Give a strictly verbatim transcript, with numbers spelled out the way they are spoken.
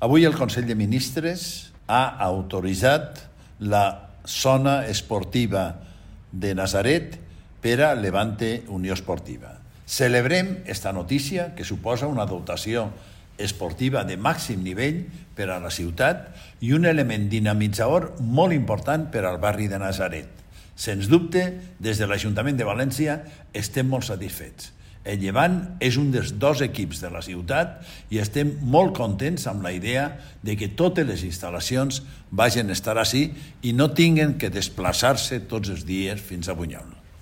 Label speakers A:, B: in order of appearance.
A: Avui el Consell de Ministres ha autoritzat la zona esportiva de Natzaret per a Levante Unió Esportiva. Celebrem esta notícia que suposa una dotació esportiva de màxim nivell per a la ciutat i un element dinamitzador molt important per al barri de Natzaret. Sens dubte, des de l'Ajuntament de València estem molt satisfets. El Llevant és un dels dos equips de la ciutat i estem molt contents amb la idea de que totes les instal·lacions vagin a estar així i no tinguen que desplaçar-se tots els dies fins a Bunyol.